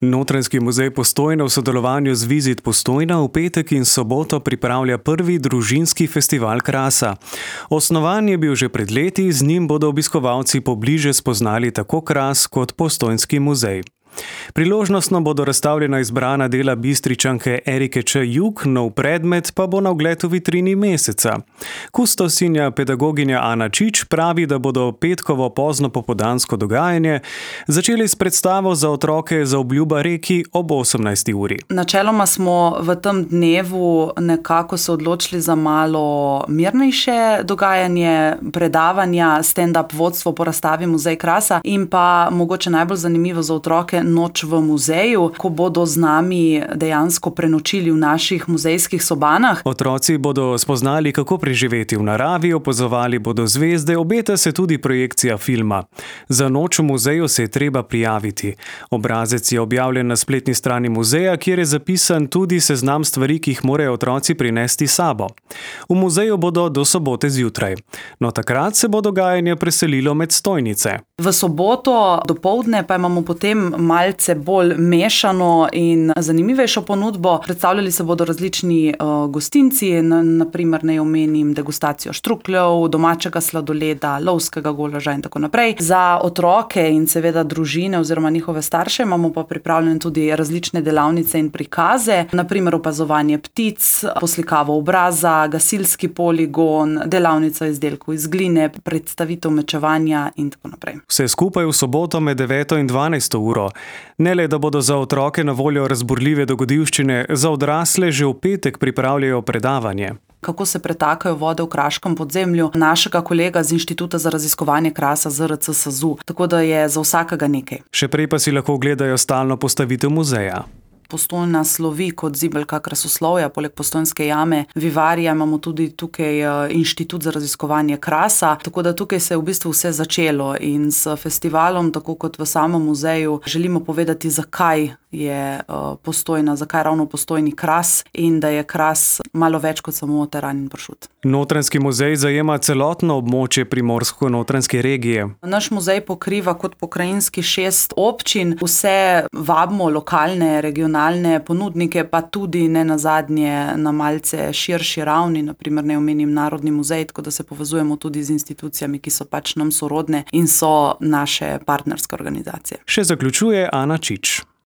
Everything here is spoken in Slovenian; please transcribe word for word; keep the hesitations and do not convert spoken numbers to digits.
Notranjski muzej Postojna v sodelovanju z Vizit Postojna v petek in soboto pripravlja prvi družinski festival krasa. Osnovan je bil že pred leti, z njim bodo obiskovalci pobliže spoznali tako kras kot Postojnski muzej. Priložnostno bodo razstavljena izbrana dela Bistričanke Erike Č. Jug, nov predmet pa bo na ogled v vitrini meseca. Kustosinja pedagoginja Ana Čič pravi, da bodo petkovo pozno popoldansko dogajanje začeli s predstavo za otroke Zaobljuba reki ob osemnajsti uri. Načeloma smo v tem dnevu nekako se odločili za malo mirnejše dogajanje, predavanja, stand-up vodstvo po razstavi Muzej krasa in pa mogoče najbolj zanimivo za otroke noč v muzeju, ko bodo z nami dejansko prenočili v naših muzejskih sobanah. Otroci bodo spoznali, kako preživeti v naravi, opazovali bodo zvezde, obeta se tudi projekcija filma. Za noč v muzeju se je treba prijaviti. Obrazec je objavljen na spletni strani muzeja, kjer je zapisan tudi seznam stvari, ki jih morajo otroci prinesti s sabo. V muzeju bodo do sobote zjutraj. No, takrat se bo dogajanje preselilo med stojnice. V soboto dopoldne pa imamo potem malce bolj mešano in zanimivejšo ponudbo. Predstavljali se bodo različni uh, gostinci, na, naprimer naj omenim degustacijo štrukljev, domačega sladoleda, lovskega golaža in tako naprej. Za otroke in seveda družine oziroma njihove starše imamo pa pripravljene tudi različne delavnice in prikaze, naprimer opazovanje ptic, poslikavo obraza, gasilski poligon, delavnica izdelkov iz gline, predstavitev mečevanja in tako naprej. Vse skupaj v soboto med deveto in dvanajsto uro. Ne le, da bodo za otroke na voljo razburljive dogodivščine, za odrasle že v petek pripravljajo predavanje. Kako se pretakajo vode v kraškem podzemlju našega kolega z Inštituta za raziskovanje krasa Z R C S A Z U, tako da je za vsakega nekaj. Še prej pa si lahko ogledajo stalno postavitev muzeja. Postojna slovi kot zibelka krasoslovja, poleg Postojnske jame Vivarija imamo tudi tukaj Inštitut za raziskovanje krasa, tako da tukaj se je v bistvu vse začelo in s festivalom, tako kot v samem muzeju, želimo povedati, zakaj je Postojna, zakaj ravno Postojni kras in da je kras malo več kot samo teran in pršut. Notranjski muzej zajema celotno območje primorsko-notranjske regije. Naš muzej pokriva kot pokrajinski šest občin, vse vabimo lokalne, regionalne ponudnike, pa tudi ne nazadnje na malce širši ravni, naprimer ne omenim Narodni muzej, tako da se povezujemo tudi z institucijami, ki so pač nam sorodne in so naše partnerske organizacije. Še zaključuje Ana Čič.